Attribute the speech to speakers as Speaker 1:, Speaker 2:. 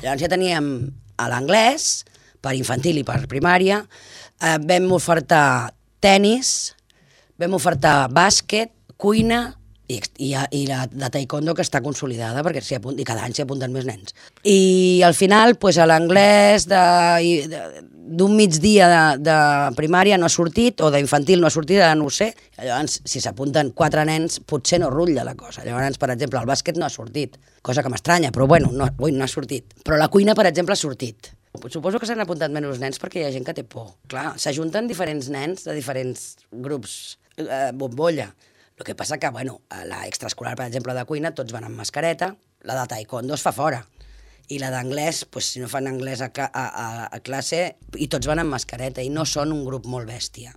Speaker 1: Llavors ja teníem a l'anglès, per infantil i per primària, vam ofertar tennis, vam ofertar bàsquet, cuina i la de taekwondo, que està consolidada, perquè i cada any s'hi apunten més nens. I al final, a l'anglès d'un migdia de primària no ha sortit, o d'infantil no ha sortit, ara no ho sé. Llavors, si s'apunten 4 nens, potser no rutlla la cosa. Llavors, per exemple, el bàsquet no ha sortit, cosa que m'estranya, però bueno, no ha sortit. Però la cuina, per exemple, ha sortit. Suposo que s'han apuntat menys nens perquè hi ha gent que té por. Clar, s'ajunten diferents nens de diferents grups bombolla. El que passa que, bueno, a l'extraescolar, per exemple, de cuina, tots van amb mascareta, la de taekwondo es fa fora. I la d'anglès, si no fan anglès a classe, i tots van amb mascareta, i no són un grup molt bèstia.